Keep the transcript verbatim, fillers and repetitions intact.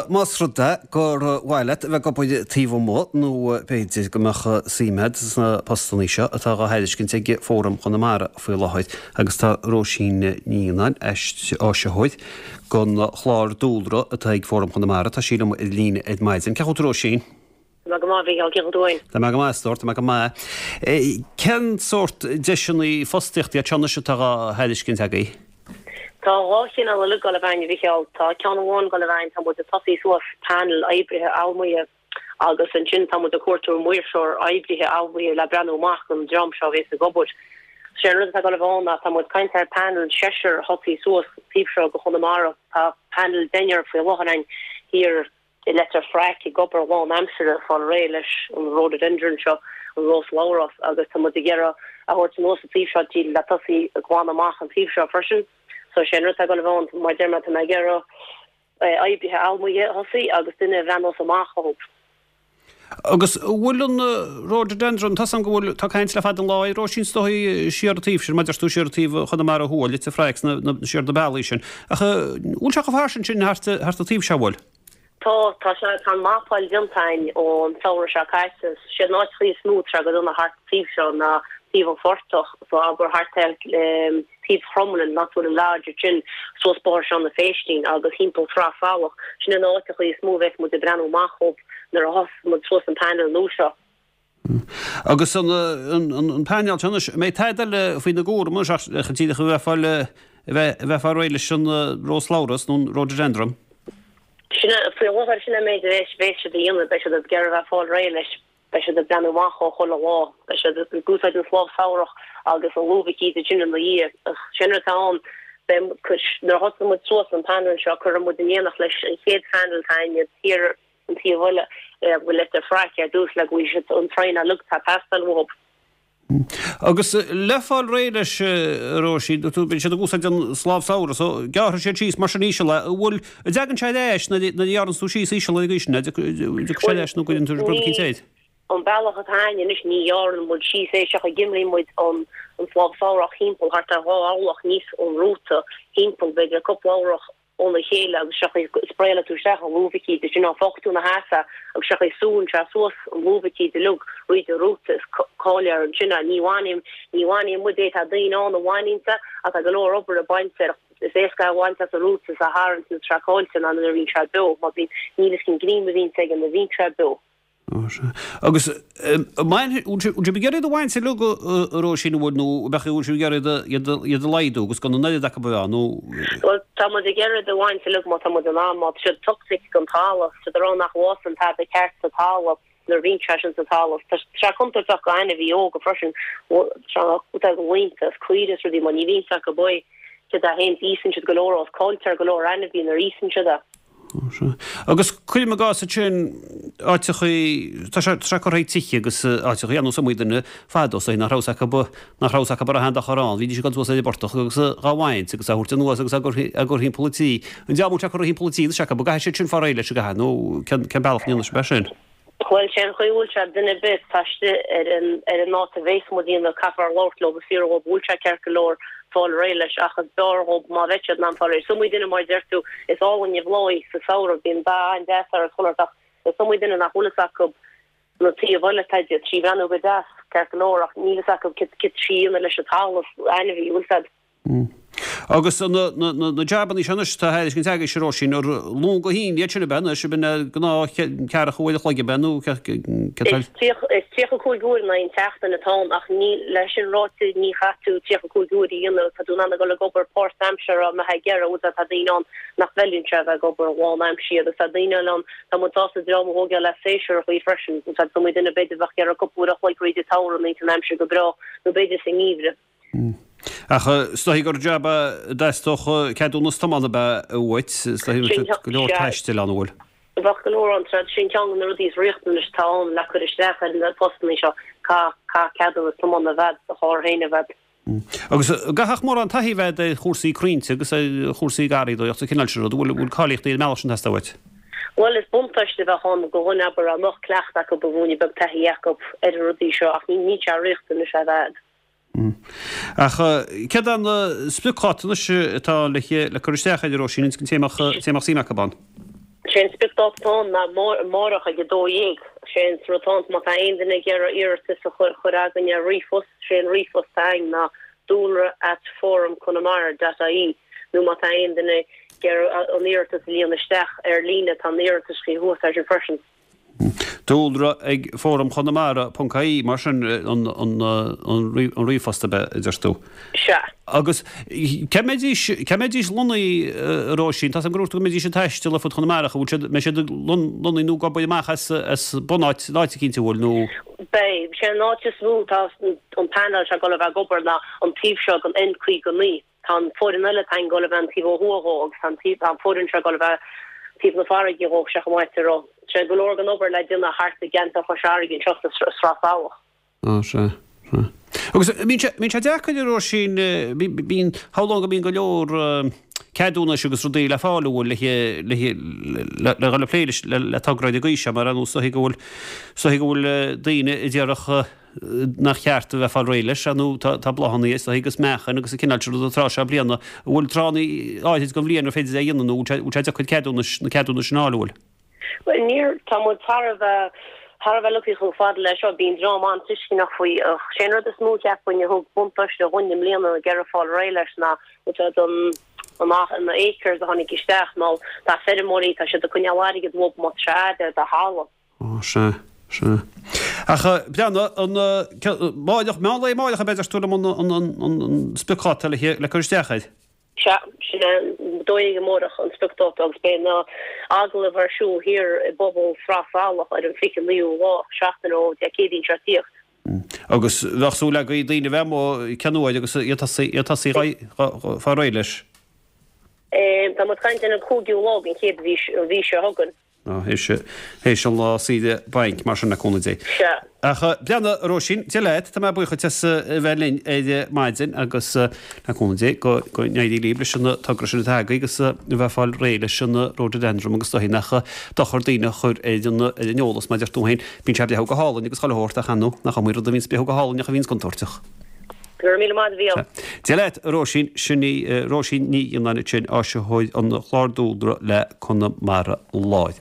más rud é gur mhaith leat a bheith ag obair taobh amuigh nó b'fhéidir go mbeadh suim agat sna postanna seo atá á thairiscint ag Fóram Chonamara faoi láthair agus tá Róisín Ní Fhionnáin, áisitheoir don chlár dúlra atá ag Fóram Chonamara, tá sí liom ar líne ar maidin. Cén chaoi a bhfuil tú Róisín? Tá mé go maith, a Mhícheáil, cén chaoi a bhfuil tú fhéin? Tá mé go maith, a stór, tá mé go maith. Cén sórt deiseanna fostaíochta iad seo anois atá á thairiscint agaibh? Tá dhá chineál uilig ag dul i bhfeidhm, a Mhícheáil. Tá ceann amháin ag dul i bhfeidhm, tá muid ag tosaí suas panel oibrithe allamuigh agus ansin tá muid ag cuartú maoirseoir oibrithe allamuigh le breathnú amach don dream seo a bhéas ag obair. Sé an rud atá ag dul i bhfeidhm ná tá muid ag caint ar panel seisear a thosaí suas taobh seo de Chonamara. Tá panel deichniúr faoi láthair againn thiar i Leitir Fraic ag obair lán-aimsire ag fáil réidh leis an rhododendron seo, an rós labhrás, agus tá muid ag iarraidh a thabhairt anuas an taobh seo dtí le tosaí ag glanadh amach an taobh seo freisin. So sé an rud atá ag dul a bheith ann, mar deir mé, tá mé ag iarraidh oibrithe allamuigh a thosaí agus duine a bhreathnós amach dhóibh. Agus an bhfuil an rhododendron, tá 's agam go bhfuil, tá caint le fada an lá air Róisín is dóigh siar an taobh sin, mar deir tú siar an taobh Chonamara Thuaidh, Leitir Fraic, sna, siar na bealaí sin. Ach an bhfuil sé chomh fairsing sin thart, thart an taobh seo, an bhfuil? Tá, tá sé, tá an mapáil déanta againn ón samhradh seo caite. Siad na háiteachaí is mó atá sé go dona thart an taobh seo ná taobh an phortach, so abair thart ar taobh Chromghlinn, an áit a bhfuil an lodge ansin, suas Bóthar Seán na Phéistín agus thimpeall Sraith Salach. Sin na háiteachaí is mó a bheas muid ag breathnú amach dhóibh nuair a thosós muid suas an panel nua seo. Agus an an painéal seo anois, an mbeidh tada eile faoina gcúram anois ach díreach a bheith ag fáil a bheith ag fáil réidh leis an rós labhras nó an rhododendron? Sin é, faoi láthair, sin é an méid a bheas siad a dhéanamh, beidh siad ag iarraidh a bheith ag fáil réidh leis, beidh siad ag breathnú amach dhó chuile lá, beidh siad ag úsáid an slábh samhrach agus an lúb eicínt ansin ina dhiaidh. Ach sin rud atá ann, beidh, nuair a thosaíonn muid suas an panel seo, cuirfidh muid in éineacht leis an chéad phanel atá againne thiar an taobh eile, a bhfuil Leitir Fraic ar dtús le go bhfaighidh siad an traenáil uilig atá ag teastáil uathu. Agus le fáil réidh leis, a Róisín, dúirt tú, bíonn siad ag úsáid an slábh samhraidh, so gearrfaidh siad síos mar sin íseal é. An bhfuil, an dtagann sé ar ais nuair a ghearranns tú síos íseal ar an gcaoi sin, an dtiocfaidh sé ar ais nó go dtéann tú rud eicínt air? An bealach atá againn anois, ní ghearrann muid síos é, seachas go gcuimlíonn muid an slábh samhrach thimpeall thart ar dhá orlach aníos ón rúta, thimpeall b'fhéidir cúpla orlach óna chéile agus sé an chaoi a spraeálann tú isteach an lúb eicínt ansin ná fágfaidh tú ina sheasamh agus sé an chaoi a súnn sé suas an lúb eicínt uilig fríd an rúta is cáiléar ansin é. Ní bhaineann ní bhaineann muid é tá daoine ann a bhaineanns é ach tá go leor obair ag baint air is éasca é a bhaint as an rúta is a tharraingt nuair atá sé caillte ná nuair a bhíonn sé beo mar bíonn níl fhios cén greim a bhíonns aige nuair a bhíonn sé beo. Agus bhfuil sibh ag iarraidh iad a bhaint uilig a Róisín, an bhfuil nó an bhfuil sibh ag iarraidh iad a laghdú agus gan an oiread acu a bheith ann nó. Bhuel tá muid ag iarraidh iad a bhaint uilig má tá muid in ann, má tá siad toxic don talamh, tá siad ag rá nach bhfásann tada ceart sa talamh nuair a bhíonn sé sin sa talamh. Tá sé contúirteach do ainmhí óga freisin, tá go laonta is caoire is rudaí mar ní bhíonn fhios acu é céard a théann, íosann siad go leor is cailltear go leor ainmhí nuair a íosann siad é. Agus cuirim i gcás ansin áiteachaí, tá sé, tá sé curtha ag tithe agus áiteachaí ar nós iomaí duine fadó is dóigh nach raibh fhios acu, nach raibh fhios acu an raibh aon dochar ann, bhídís ag dul suas ar an bportach agus dhá bhaint agus á thabhairt anuas agus á gcur, á gcur thimpeall an tí. An dream atá curtha thimpeall an tí anois acu, an gcaithfidh siad sin fáil réidh leis an gcaithfidh nó cén, cén bealach a ndéanfaidh sibh é sin? Bhuel, sé an chaoi a bhfuil sé, duine ar bith atá istigh ar an ar an áit a bhéas muid a dhéanamh, caithfear labhairt leo agus fiafraí dhóibh an bhfuil sé ceart go leor fáil réidh leis ach is b'fhearr dhóibh má bheidh siad in ann fáil réidh. Is iomaí duine, mar a deir tú, is álainn an bhláth sa samhradh, bíonn dath an-deas air is chuile shórt ach is iomaí duine nach bhfuil fhios acu na taobh eile atá de, trí bhreathnú go deas, ceart go leor ach níl fhios acu cad cad trí dhéanamh leis an talamh, ainmhí, bhfuil fhios a'd. Agus na jabannaí seo anois atá á thairiscint agaibhse, a Róisín, ar Luan go hAoine iad sin ab ea anois, ab in gnáth ceathracha uair a chloig ab ea nó cad tá. Is tríocha cúig uair in aghaidh an tseachtain atá ann ach ní, leis sin ráite ní chaithfidh tú tríocha cúig uair a dhéanamh, tá tú in ann a dhul ag obair páirtaimseartha má tá ag iarraidh, bhfuil tá daoine ann nach bhfeileann sé a bheith ag obair lán-aimseartha agus tá daoine eile ann, tá muid sásta dream a thógáil le séasúrachaí freisin, tá iomaí duine b'fhéidir a bheadh ag iarraidh cúpla uair a chloig fríd an tsamhradh nuair atá an aimsir go breá nó b'fhéidir sa ngeimhreadh. Ach is dóigh gur jab a dteastódh ceadúnas tiomána ab ea uait, is dóigh go leor taistil ann, an bhfuil? Bheadh go leor ann, sin ceann de na rudaí is riachtanais atá ann le cur isteach ar na postanna seo, caithfidh ceadúnas tiomána a bheith a'd, do charr féin a bheith a'd. Agus an gcaithfeadh mórán taithí a bheith a'd ar chúrsaí crainnte agus ar chúrsaí garraíodóireachta, an cineál sin rud, an bhfuil cáilíochtaí ar an mbealach sin ag teastáil uait? Bhuel, is buntáiste a bheadh ann do dhuine, abair, dá mbeadh cleachtadh acu, ba mhúine beag taithí acu ar na rudaí seo ach níl sé riachtanach a bheith a'd. Ach céard é an spriocdháta anois atá le cur isteach air, a Róisín, an té a mbeadh suim acu ann? Sé an spriocdháta atá ann ná amárach ag a dó dhéag. Sé an rud atá ann má tá aon duine ag iarraidh iarratas a chur chur againn ar ríomhphost, sé an ríomhphost atá againn ná dúlra at forumconamara dot ie nó má tá aon duine ag iarraidh an iarratas a líonadh isteach ar líne tá an iarratas faoi thuas air sin freisin. Dúlra ag Fóram Chonamara ponc ie, mar sin an ríomhphost ab ea, a deir tú? Sea. Agus cá mbeidís, cá mbeidís lonnaithe, a Róisín? Tá 's agam gur dhúirt tú go mbeidís ag taisteal ar fud Chonamara, ach an bhfuil siad, mbeidh siad lonnaithe nó ag obair amach as, as bunáit, an áit eicínt, an bhfuil, nó? Beidh. Sé an áit is mó atá an panel seo ag dul a bheith ag obair ná an taobh seo den N caoga naoi. Tá an foireann eile atá ag dul a bheith an taobh ó thuaidh dhó agus tá an taobh, tá an foireann seo ag dul a bheith taobh na farraige dhó, sé chomh maith a rá. Sé go leor den obair le déanamh thart i gceantar Chois Fharraige anseo sa Sraith Salach. Á, sea, sea. Agus bíonn sé, bíonn sé deacair a Róisín, bíonn, shamhlóinn go mbíonn go leor ceadúnais agus rudaí le fáil an bhfuil le, le, le, le dhul ag plé leis, le, le togra ar an gcaoi seo mar ar nós is dóichí go bhfuil, is dóichí go bhfuil daoine a déarfadh nach cheart a bheith ag fáil réidh leis, nó tá, tá bláthanna is dóichí agus meachain agus an cineál sin ruda an tráth seo bliana. An bhfuil tráthanna áirid den bhliain ar féidir é a dhéanamh nó an bhfuil sé, bhfuil sé deacair ceadúnais, na ceadúnais sin a fháil, an bhfuil? Bhuel, níor, tá muid thar a bheith, thar a bheith lucky chomh fada leis seo, bíonn dream an-tuisceanach faoi ach sé an rud is mó cheapfainn a thug buntáiste dhúinn i mbliana ag iarraidh fáil réidh leis ná úsáid an, an, na acres a tháinig isteach nó tá feirmeoirí, tá siad ag coinneáil airgead uathu má tá sé fhad ar do thalamh. Ó, sea, sea. Ach breathnaigh, an, amárach, meán lae amárach ab ea a deir tú liom an, an, an, an, an spriocdháta le, le cur isteach air? Sea, sin é, a dó dhéag amárach an spriocdháta agus beidh na agallaimh ar siúl thiar i bpobal Sraith Salach ar an fiche naoú lá, seachtain ó Dé Céadaoin seo ag tíocht. Agus bheadh súil agaibh daoine a bheith amuigh cionn uair agus iad tosaí, iad tosaí fáil réidh leis. Tá muid ag caint ar an cúigiú lá den chéad mhí, an mhí seo chugainn. Á, théis an lá saoire bainc, mar sin, le cúnamh Dé. Sea. Ach breathnaigh, a Róisín, Dia leat, tá mé buíoch duit as a bheith linn ar maidin agus le cúnamh Dé go n-éirí libh leis an togra sin atá agaibh agus a bheith ag fáil réidh leis an rhododendron agus is dóichí nach dochar daoine a chur ar an ar an eolas mar a deir tú féin, bíonn sé ag breathnú go hálainn agus chuile shórt ach ar ndóigh nach iomaí rud a bhíonns ag breathnú go hálainn ach a bhíonns contúirteach. Go raibh míle maith agat, a Mhícheáil. Dia leat, a Róisín, sin í Róisín Ní Fhionnáin ansin, áisitheoir an Chláir Dúlra le Conamara Láir.